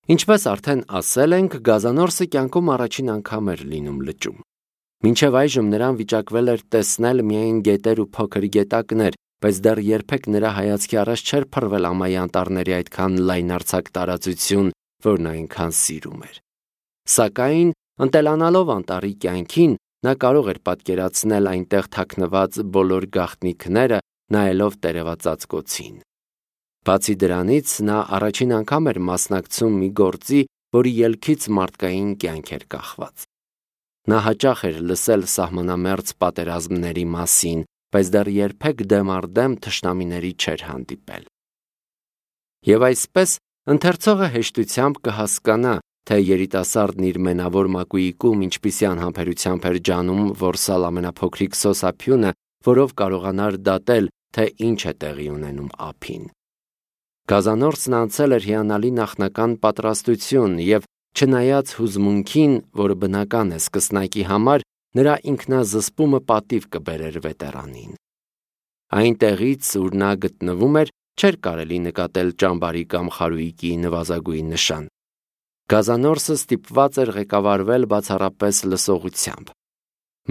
Ինչպես արդեն ասել ենք, գազանորսը կյանքում առաջին անգամ էր լինում լճում։ Մինչև այժմ նրան վիճակվել էր տեսնել միայն գետեր ու փոքր գետակներ, բայց դեռ երբեք նրա հայացքի առաջ չէր փռվել ամայի անտառների այդքան լայնարձակ տարածություն, որն այնքան սիրում էր։ Սակայն, ընտելանալով անտառի կյանքին, նա կարող էր պատկերացնել այնտեղ թաքնված բոլոր գաղտնիքները, նայելով տերևածածկոցին։ Բացի դրանից, նա առաջին անգամ էր մասնակցում մի գործի, որի ելքից մարդկային կյանք էր կախված։ Նա հաճախ էր լսել սահմանամերձ պատերազմների մասին, բայց դեռ երբեք դեմ առ դեմ թշնամիների չէր հանդիպել։ Եվ այսպես, ընթերցողը հեշտությամբ կհասկանա, թե երիտասարդն իր մենավոր մակույիկում ինչպիսի անհամբերությամբ էր ջանում որսալ ամենափոքրիկ սոսափյունը, որով կարողանար դատել, թե ինչ է տեղի ունենում ափին։ Գազանորսն անցել էր հիանալի նախնական պատրաստություն և չնայած հուզմունքին, որը բնական է սկսնակի համար, նրա ինքնազսպումը պատիվ կբերեր վետերանին։ Այնտեղից, ուր նա գտնվում էր, չէր կարելի նկատել ճամբարի կամ խարույկի նվազագույն նշան։ Գազանորսը ստիպված էր ղեկավարվել բացառապես լսողությամբ։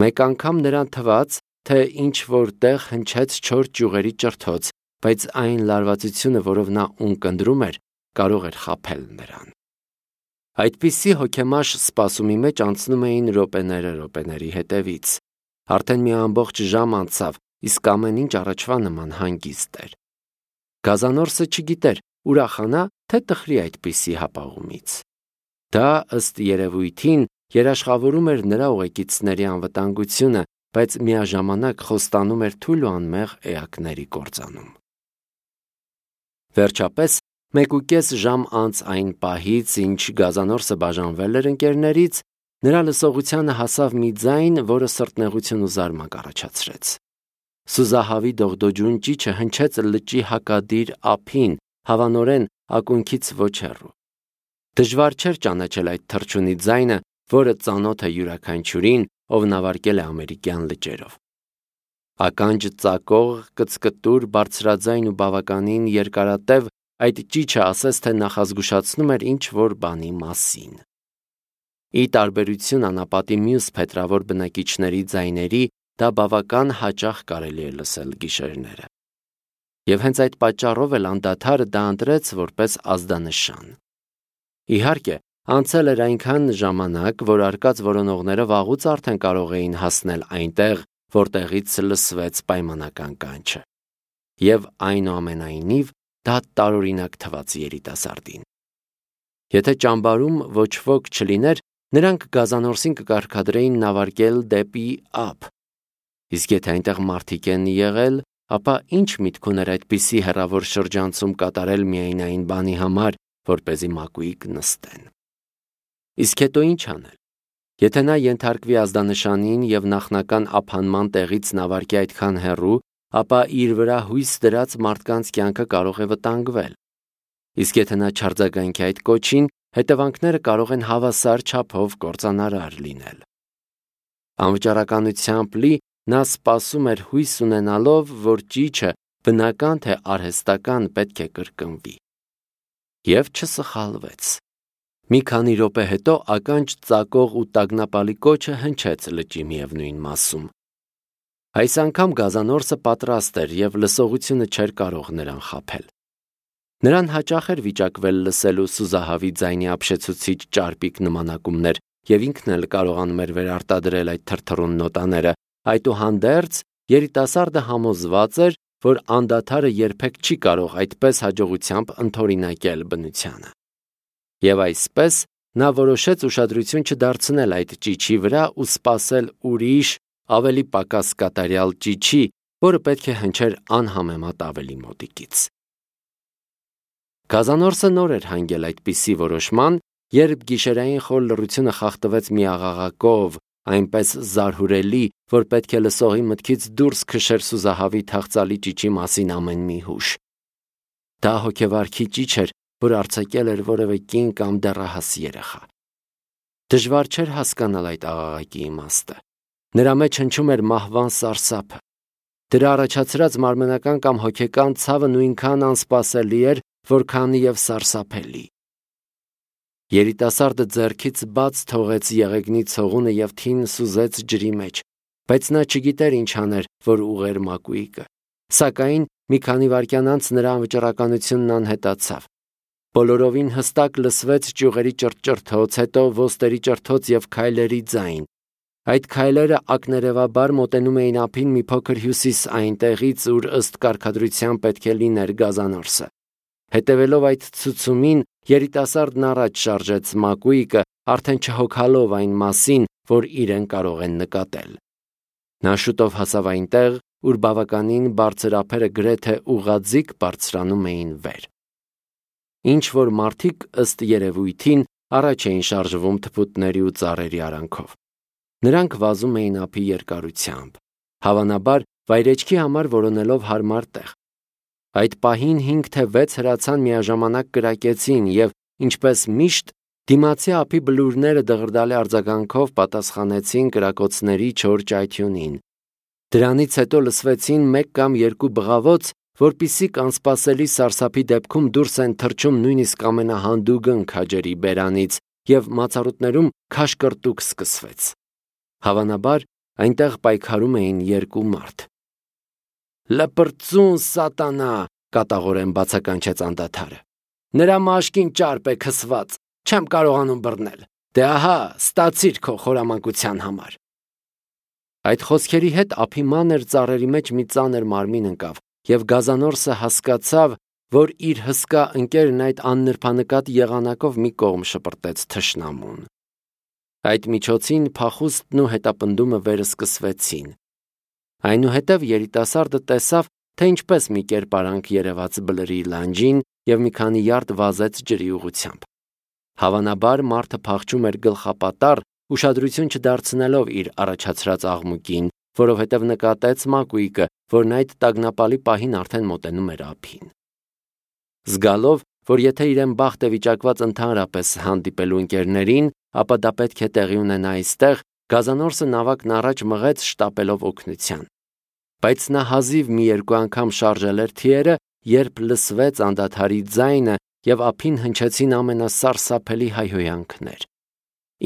Մեկ անգամ նրան թվաց, թե ինչ-որ տեղ հնչեց չոր ճյուղերի ճրթոց, բայց այն լարվածությունը, որով նա ունկնդրում էր, կարող էր խաբել նրան։ Այդպիսի հոգեմաշ սպասումի մեջ անցնում էին րոպեների հետևից։ Արդեն մի ամբողջ ժամ անցավ, իսկ ամեն ինչ առաջվա նման հանգիստ էր։ Գազանորսը չգիտեր ուրախանա, թե տխրի այդպիսի հապաղումից։ Դա, ըստ երևույթին, երաշխավորում էր նրա ուղեկիցների անվտանգությունը, բայց միաժամանակ խոստանում էր թույլ ու անմեղ էակների կործանում։ Վերջապես, 1.5 ժամ անց այն պահից, ինչ գազանորսը բաժանվել էր ընկերներից, նրա լսողությանը հասավ մի ձայն, որը սրտնեղություն ու զարմանք առաջացրեց։ Սուզահավի դողդոջուն ճիչը հնչեց լճի հակադիր ափին, հավանորեն ակունքից ոչ հեռու։ Դժվար չէր ճանաչել այդ թռչունի ձայնը, որը ծանոթ է յուրաքանչյուրին, ով նավարկել է ամերիկյան լճերով։ Ականջ ծակող, կծկտուր, բարձրաձայն ու բավականին երկարատև, այդ ճիչը ասես թե նախազգուշացնում էր ինչ-որ բանի մասին։ Ի տարբերություն անապատի մյուս փետրավոր բնակիչների ձայների, դա բավական հաճախ կարելի է լսել գիշերները։ Եվ հենց այդ պատճառով էլ անդադար դա ընտրեց որպես ազդանշան։ Իհարկե, անցել էր այնքան ժամանակ, որ արկած որոնողները վաղուց արդեն կարող էին հասնել այնտեղ, որտեղից լսվեց պայմանական կանչը։ Եվ այնուամենայնիվ, դա տարօրինակ թվաց երիտասարդին։ Եթե ճամբարում ոչ ոք չլիներ, նրանք գազանորսին կկարգադրեին նավարկել դեպի ափ։ Իսկ եթե այնտեղ մարդիկ են եղել, ապա ինչ միտք ուներ այդպիսի հեռավոր շրջանցում կատարել միայն այն բանի համար, որպեսզի մակույիկ նստեն։ Իսկ հետո ինչ անել։ Եթե նա ենթարկվի ազդանշանին և նախնական ափանման տեղից նավարկի այդքան հեռու, ապա իր վրա հույս դրած մարդկանց կյանքը կարող է վտանգվել։ Իսկ եթե նա չարձագանքի այդ կոչին, հետևանքները կարող են հավասար չափով կործանարար լինել։ Անվճարականությամբ լի նա սպասում էր հույս ունենալով, որ ճիչը բնական թե արհեստական պետք է կրկնվի։ Եվ չսխալվեց։ Մի քանի րոպե հետո ականջ ծակող ու տագնապալի կոչը հնչեց լճի միևնույն մասում։ Այս անգամ գազանորսը պատրաստ էր և լսողությունը չէր կարող նրան խաբել։ Նրան հաճախ էր վիճակվել լսելու սուզահավի ձայնի ապշեցուցիչ ճարպիկ նմանակումներ, և ինքն էլ կարողանում էր վերարտադրել այդ թրթռուն նոտաները, այդուհանդերձ երիտասարդը համոզված էր, որ անդադարը երբեք չի կարող այդպես հաջողությամբ ընդօրինակել բնությանը։ Եվ այսպես նա որոշեց ուշադրություն չդարձնել այդ ճիչի վրա ու սպասել ուրիշ, ավելի պակաս կատարյալ ճիչի, որը պետք է հնչեր անհամեմատ ավելի մոտիկից։ Գազանորսը նոր էր հանգել այդպիսի որոշման, երբ գիշերային խոր լռությունը խախտվեց մի աղաղակով, այնպես զարհուրելի, որ պետք է լսողի մտքից դուրս քշեր սուզահավի թախծալի ճիչի մասին ամեն մի հուշ։ Դա հոգեվարքի ճիչ էր, որ արձակել էր որևէ կին կամ դեռահաս երեխա։ Դժվար չէր հասկանալ այդ աղաղակի իմաստը։ Նրա մեջ հնչում էր մահվան սարսափը։ Դրա առաջացրած մարմնական կամ հոգեկան ցավը նույնքան անսպասելի էր, որքան և սարսափելի։ Երիտասարդը ձեռքից բաց թողեց եղեգնի ցողունը և թին սուզեց ջրի մեջ, բայց նա չգիտեր ինչ աներ, որ ուղղեր մակույկը։ Սակայն մի քանի վայրկյան անց նրա անվճռականությունն անհետացավ։ Բոլորովին հստակ լսվեց ճյուղերի ճրճրթոց, հետո ոստերի ճրթոց և քայլերի ձայն։ Այդ քայլերը ակներևաբար մոտենում էին ափին մի փոքր հյուսիս այնտեղից, ուր ըստ կարգադրության պետք է լիներ Գազանորսը։ Հետևելով այդ ցուցումին, երիտասարդն առաջ շարժեց մակույկը, արդեն չհոգալով այն մասին, որ իրեն կարող են նկատել։ Նա շուտով հասավ այնտեղ, ուր բավականին բարձր ափերը գրեթե ուղղաձիգ բարձրանում էին վեր։ Ինչ որ մարդիկ ըստ երևույթին առաջ էին շարժվում թփուտների ու ծառերի արանքով։ Նրանք վազում էին ափի երկարությամբ, հավանաբար վայրեջքի համար որոնելով հարմար տեղ։ Այդ պահին 5 թե 6 հրացան միաժամանակ կրակեցին և, ինչպես միշտ, դիմացի ափի բլուրները դղրդալի արձագանքով պատասխանեցին կրակոցների չոր ճայթյունին։ Դրանից հետո լսվեցին 1 կամ 2 բղավոց, որպիսիք անսպասելի սարսափի դեպքում դուրս են թռչում նույնիսկ ամենահանդուգն քաջերի բերանից, և մացառուտներում քաշկրտուկ սկսվեց։ Հավանաբար այնտեղ պայքարում էին 2 մարդ։ «Լպրծուն սատանա», կատաղորեն բացականչեց անդադարը։ «Նրա մաշկին ճարպ է քսված, չեմ կարողանում բռնել։ Դե ահա, ստացիր քո խորամանկության համար»։ Այդ խոսքերի հետ ափի մանր ծառերի մեջ մի ծանր մարմին ընկավ, և Գազանորսը հասկացավ, որ իր հսկա ընկերն այդ աննրբանկատ եղանակով մի կողմ շպրտեց թշնամուն։ Այդ միջոցին փախուստն ու հետապնդումը վերսկսվեցին։ Այնուհետև երիտասարդը տեսավ, թե ինչպես մի կերպարանք երևաց բլրի լանջին և մի քանի յարդ վազեց ջրի ուղղությամբ։ Հավանաբար մարդը փախչում էր գլխապատառ, ուշադրություն չդարձնելով իր առաջացրած աղմուկին, որովհետև նկատեց մակույկը, որն այդ տագնապալի պահին արդեն մոտենում էր ափին։ Զգալով, որ եթե իրեն բախտ է վիճակված ընդհանրապես հանդիպելու ընկերներին, ապա դա պետք է տեղի ունենա այստեղ, Գազանորսը նավակն առաջ մղեց շտապելով օգնության։ Բայց նա հազիվ մի 2 անգամ շարժել էր թիերը, երբ լսվեց անդադարի ձայնը և ափին հնչեցին ամենասարսափելի հայհոյանքներ։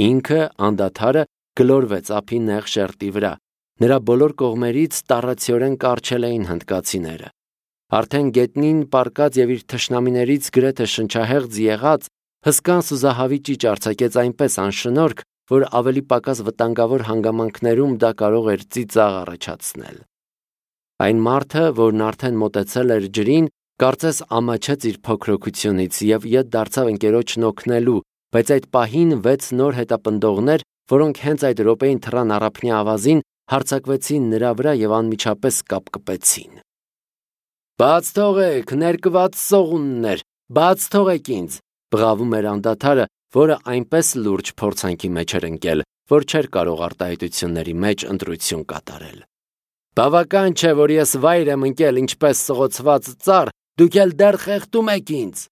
Ինքը, անդադարը, գլորվեց ափի նեղ շերտի վրա։ Նրա բոլոր կողմերից տառացիորեն կառչել էին հնդկացիները։ Արդեն գետնին պառկած և իր թշնամիներից գրեթե շնչահեղձ եղած, հսկան սուզահավի ճիճ արձակեց այնպես անշնորհք, որ ավելի պակաս վտանգավոր հանգամանքներում դա կարող էր ծիծաղ առաջացնել։ Այն մարդը, որն արդեն մոտեցել էր ջրին, կարծես ամաչեց իր փոքրոգությունից և ետ դարձավ ընկերոջն օգնելու, բայց այդ պահին 6 նոր հետապնդողներ, որոնք հենց այդ րոպեին թռան առափնյա ավազին, հարձակվեցին նրա վրա և անմիջապես կապկպեցին։ «Բաց թողեք, ներկված սողուններ, բաց թողեք ինձ», բղավում էր անդադարը, որը այնպես լուրջ փորձանքի մեջ էր ընկել, որ չէր կարող արտահայտությունների մեջ ընտրություն կատարել։ «Բավական չէ, որ ես վայր եմ ընկել ինչպես սղոցված ծառ, դուք էլ դեռ խեղդում եք ինձ»։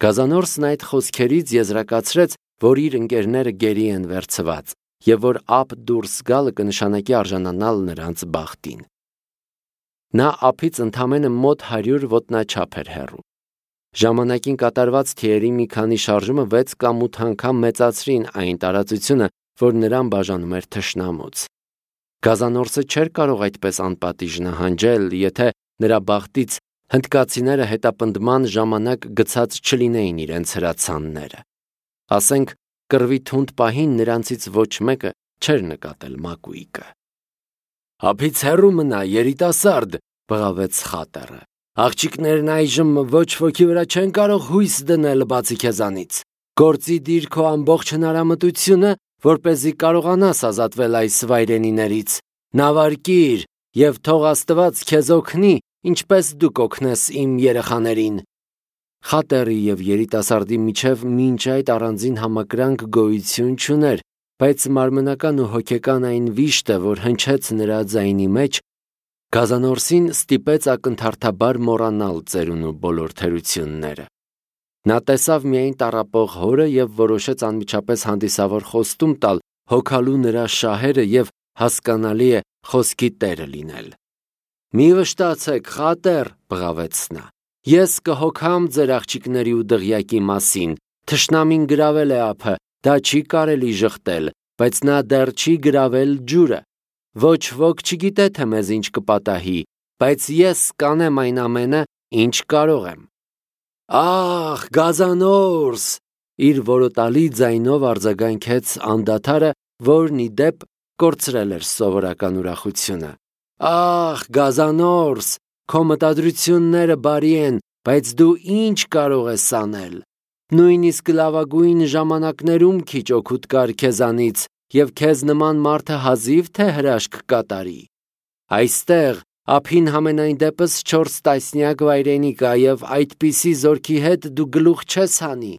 Գազանորսն այդ խոսքերից եզրակացրեց, որ իր ընկերները գերի են վերցված, և որ ափ դուրս գալը կնշանակի արժանանալ նրանց բախտին։ Նա ափից ընդամենը մոտ 100 ոտնաչափ էր հեռու։ Ժամանակին կատարված թիերի մի քանի շարժումը 6 կամ 8 անգամ մեծացրին այն տարածությունը, որ նրան բաժանում էր թշնամուց։ Գազանորսը չէր կարող այդպես անպատիժ նահանջել, եթե նրա բախտից հնդկացիները հետապնդման ժամանակ գցած չլինեին իրենց հրացանները։ Ասենք, կռվի թունդ պահին նրանցից ոչ մեկը չէր նկատել մակույկը։ «Ափից հեռու մնա, երիտասարդ», բղավեց խատերը։ «Աղջիկներն այժմ ոչ ոքի վրա չեն կարող հույս դնել բացի քեզանից։ Գործի դիր քո ամբողջ հնարամտությունը, որպեսզի կարողանաս ազատվել այս վայրենիներից։ Նավարկիր և թող Աստված քեզ օգնի, ինչպես դուք օգնես իմ երեխաներին»։ Խատերի և երիտասարդի միջև մինչ այդ առանձին համակրանք գոյություն չուներ, բայց մարմնական ու հոգեկան այն վիշտը, որ հնչեց նրա ձայնի մեջ, Գազանորսին ստիպեց ակնթարթաբար մոռանալ ծերունու բոլոր թերությունները։ Նա տեսավ միայն տառապող հորը և որոշեց անմիջապես հանդիսավոր խոստում տալ հոգալու նրա շահերը և, հասկանալի է, խոսքի տերը լինել։ «Մի վշտացեք, խատեր», բղավեց նա, «ես կհոգամ ձեր աղջիկների ու դղյակի մասին, Թշնամին գրավել է ափը, դա չի կարելի ժխտել, բայց նա դեռ չի գրավել ջուրը։ Ոչ ոք չգիտե, թե մեզ ինչ կպատահի, բայց ես կանեմ այն ամենը, ինչ կարող եմ։ Ախ, գազանորս, իր որոտալի ձայնով արձագանքեց անդադարը, որն ի դեպ կորցրել էր սովորական ուրախությունը։ Ախ, գազանորս, քո մտադրությունները բարի են, բայց դու ինչ կարող ես անել։ Նույնիսկ լավագույն ժամանակներում քիչ օգուտ կար քեզանից, և քեզ նման մարդը հազիվ թե հրաշք կատարի։ Այստեղ ափին համենայն դեպս 4 տասնյակ վայրենի կա, և այդպիսի զորքի հետ դու գլուխ չես հանի։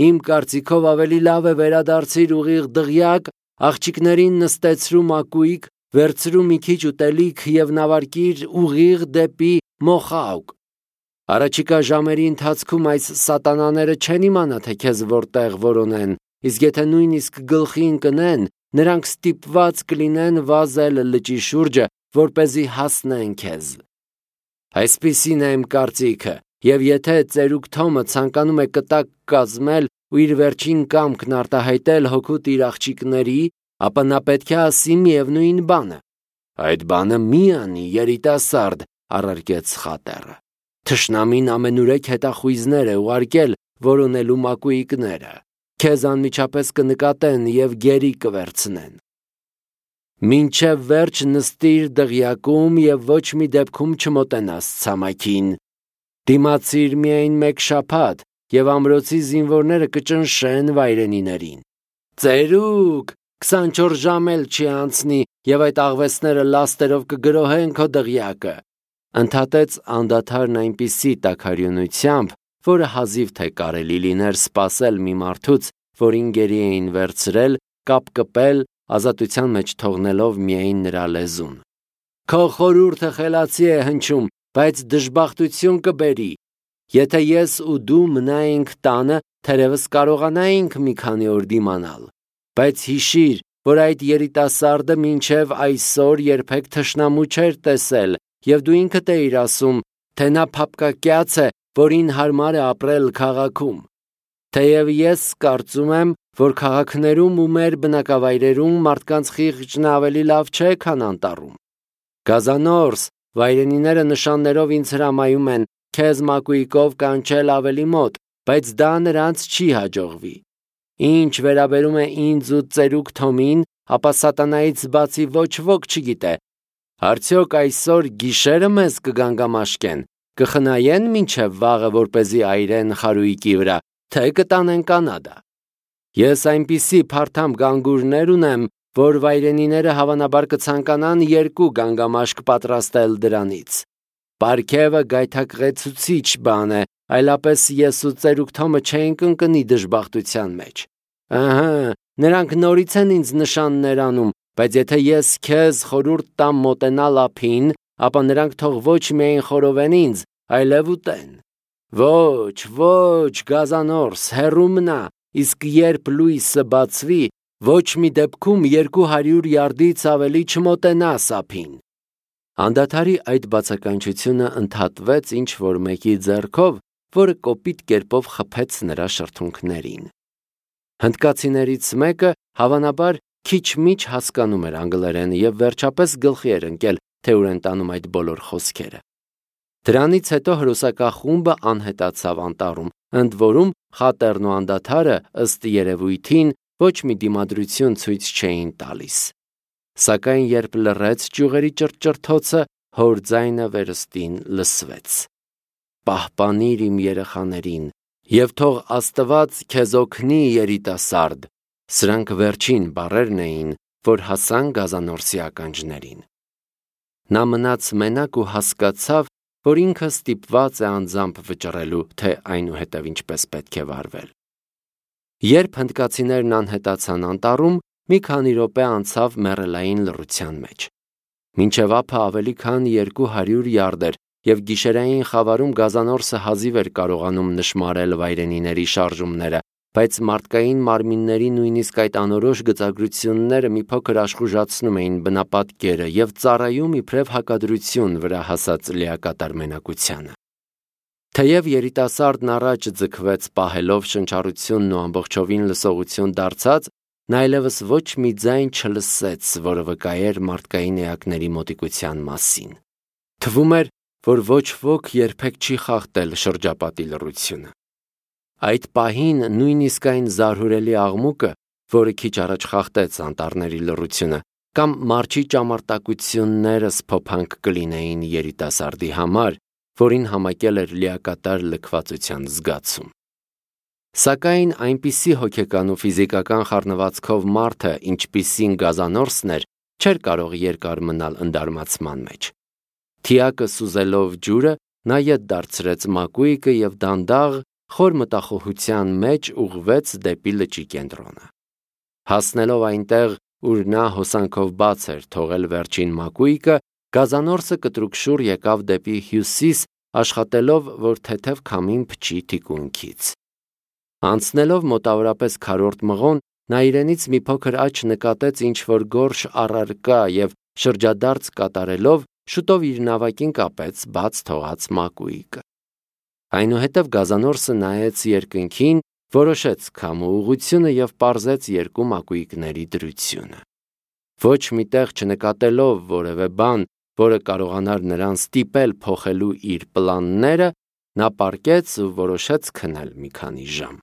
Իմ կարծիքով ավելի լավ է վերադարձիր ուղիղ դղյակ, աղջիկներին նստեցրու մակույկ, վերցրու մի քիչ ուտելիք և նավարկիր ուղիղ դեպի Մոխաուկ։ Առաջիկա ժամերի ընթացքում այս սատանաները չեն իմանա, թե քեզ որտեղ որոնեն, իսկ եթե նույնիսկ գլխի ընկնեն, նրանք ստիպված կլինեն վազել լճի շուրջը, որպեսզի հասնեն քեզ։ Այսպիսին է իմ կարծիքը, և եթե ծերուկ Թոմը ցանկանում է կտակ կազմել ու իր վերջին կամքն արտահայտել հօգուտ իր աղջիկների, ապա նա պետք է ասի միևնույն բանը։ Այդ բանը մի անի, երիտասարդ, առարկեց խատերը։ Թշնամին ամենուրեք հետախույզներ է ուղարկել որոնելու մակույիկները։ Քեզ անմիջապես կնկատեն և գերի կվերցնեն։ Մինչև վերջ նստիր դղյակում և ոչ մի դեպքում չմոտենաս ցամաքին։ Դիմացիր միայն 1 շաբաթ, և ամրոցի զինվորները կճնշեն վայրենիներին։ Ծերուկ, 24 ժամ էլ չի անցնի, և այդ աղվեսները լաստերով կգրոհեն քո դղյակը, ընդհատեց անդադարն այնպիսի տաքարյունությամբ, որը հազիվ թե կարելի լիներ սպասել մի մարդուց, որին գերի էին վերցրել, կապկպել, ազատության մեջ թողնելով միայն նրա լեզուն։ Քո խորհուրդը խելացի է հնչում, բայց դժբախտություն կբերի։ Եթե ես ու դու մնայինք տանը, թերևս կարողանայինք մի քանի օր դիմանալ, բայց հիշիր, որ այդ երիտասարդը մինչև այսօր երբեք թշնամու չէր տեսել, և դու ինքդ էիր ասում, թե նա փափկակյաց է, որին հարմար է ապրել քաղաքում։ Թեև ես կարծում եմ, որ քաղաքներում ու մեր բնակավայրերում մարդկանց խիղճն ավելի լավ չէ, քան անտառում։ Գազանորս, վայրենիները նշաններով ինձ հրամայում են քեզ մակույկով կանչել ավելի մոտ, բայց դա նրանց չի հաջողվի։ Ինչ վերաբերում է ինձ ու ծերուկ Թոմին, ապա սատանայից բացի ոչ ոք չգիտե։ Արդյոք այսօր գիշերը մեզ կգանգամաշկեն, կխնայեն մինչև վաղը, որպեսզի այրեն խարույկի վրա, թե կտանեն Կանադա։ Ես այնպիսի փարթամ գանգուրներ ունեմ, որ վայրենիները հավանաբար կցանկանան 2 գանգամաշկ պատրաստել դրանից։ Պարգևը գայթակղեցուցիչ բան է, այլապես ես ու ծերուկ Թոմը չէինք ընկնի դժբախտության մեջ։ Ահա, նրանք նորից են ինձ նշաններ անում, բայց եթե ես քեզ խորհուրդ տամ մոտենալ ափին, ապա նրանք թող ոչ միայն խորովեն ինձ, այլև ուտեն։ Ոչ, ոչ, գազանորս, հեռու մնա, իսկ երբ լույսը բացվի, ոչ մի դեպքում 200 յարդից ավելի չմոտենաս ափին։ Անդադարի այդ բացականչությունը ընդհատվեց ինչ-որ մեկի ձեռքով, որը կոպիտ կերպով խփեց նրա շրթունքներին։ Հնդկացիներից մեկը հավանաբար քիչ-միչ հասկանում էր անգլերեն և վերջապես գլխի էր ընկել, թե ուր են տանում այդ բոլոր խոսքերը։ Դրանից հետո հրոսակախումբը անհետացավ անտառում, ընդ որում խատերն ու անդադարը ըստ երևույթին ոչ մի դիմադրություն ցույց չէին տալիս։ Սակայն երբ լռեց ճյուղերի ճռճռթոցը, հոր ձայնը վերստին լսվեց. «Պահպանիր իմ երեխաներին, և թող Աստված քեզ օգնի, երիտասարդ»։ Սրանք վերջին բառերն էին, որ հասան գազանորսի ականջներին։ Նա մնաց մենակ ու հասկացավ, որ ինքը ստիպված է անձամբ վճռելու, թե այնուհետև ինչպես պետք է վարվել։ Երբ հնդկացիներն անհետացան անտառում, մի քանի րոպե անցավ մեռելային լռության մեջ։ Մինչև ափը ավելի քան 200 յարդ էր, և գիշերային խավարում գազանորսը հազիվ էր կարողանում նշմարել վայրենիների շարժումները, բայց մարդկային մարմինների նույնիսկ այդ անորոշ գծագրությունները մի փոքր աշխուժացնում էին բնապատկերը և ծառայում իբրև հակադրություն վրա հասած լիակատար մենակությանը։ Թեև երիտասարդն առաջ ձգվեց պահելով շնչառությունն ու ամբողջովին լսողություն դարձած, նա այլևս ոչ մի ձայն չլսեց, որը վկայեր մարդկային էակների մոտիկության մասին։ Թվում էր, որ ոչ ոք երբեք չի խախտել շրջապատի լռությունը։ Այդ պահին նույնիսկ այն զարհուրելի աղմուկը, որը քիչ առաջ խախտեց անտառների լռությունը, կամ մարջի ճամարտակությունները սփոփանք կլինեին երիտասարդի համար, որին համակել էր լիակատար լքվածության զգացում։ Սակայն այնպիսի հոգեկան ու ֆիզիկական խառնվածքով մարդը, ինչպիսին Գազանորսն էր, չէր կարող երկար մնալ ընդարմացման մեջ։ Թիակը սուզելով ջուրը, նա ետ դարձրեց մակույկը և դանդաղ, խոր մտախոհության մեջ ուղղվեց դեպի լճի կենտրոնը։ Հասնելով այնտեղ, ուր նա հոսանքով բաց էր թողել վերջին մակույկը, Գազանորսը կտրուկշուռ եկավ դեպի հյուսիս, աշխատելով, որ թեթև քամին փչի թիկունքից։ Անցնելով մոտավորապես քառորդ մղոն, նա իրենից մի փոքր աճ նկատեց ինչ-որ գորշ առարկա և շրջադարձ կատարելով, շուտով իր նավակին կապեց բաց թողած մակույկը։ Այնուհետև Գազանորսը նայեց երկնքին, որոշեց քամու ուղղությունը և պարզեց երկու մակույկների դրությունը։ Ոչ մի տեղ չնկատելով որևէ բան, որը կարողանար նրան ստիպել փոխելու իր պլանները, նա պառկեց ու որոշեց քնել մի քանի ժամ։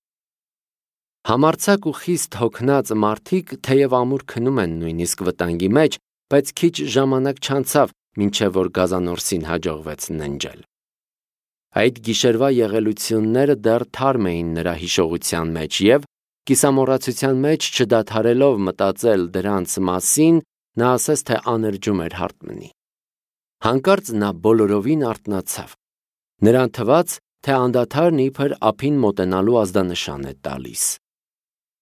Համարձակ ու խիստ հոգնած մարդիկ թեև ամուր քնում են նույնիսկ վտանգի մեջ, բայց քիչ ժամանակ չանցավ, մինչև որ Գազանորսին հաջողվեց ննջել։ Այդ գիշերվա եղելությունները դեռ թարմ էին նրա հիշողության մեջ և, կիսամոռացության մեջ չդադարելով մտածել դրանց մասին, նա ասես թե աներճում էր հարթմնի։ Հանկարծ նա բոլորովին արթնացավ։ Նրան թվաց, թե անդադարն իբր ափին մոտենալու ազդանշան է տալիս։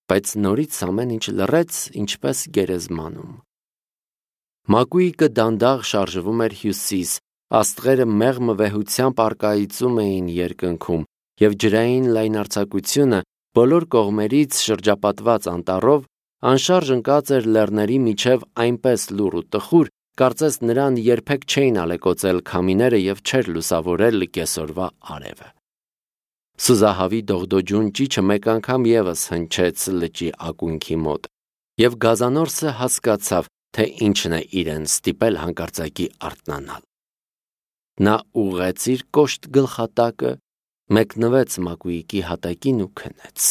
Բայց նորից ամեն ինչ լռեց, ինչպես գերեզմանում։ Մակույկը դանդաղ շարժվում էր հյուսիս, աստղերը մեղմ վեհությամբ առկայծում էին երկնքում, և ջրային լայնարձակությունը բոլոր կողմերից շրջապատված անտառով անշարժ ընկած էր լեռների միջև այնպես լուռ ու տխուր, կարծես նրան երբեք չէին ալեկոծել քամիները և չէր լուսավորել կեսօրվա արևը։ Սուզահավի դողդոջուն ճիչը մեկ անգամ ևս հնչեց լճի ակունքի մոտ, և Գազանորսը հասկացավ, թե ինչն է իրեն ստիպել հանկարծակի արթնանալ։ Նա ուղղեց իր կոշտ գլխատակը, մեկնվեց մակույկի հատակին ու քնեց։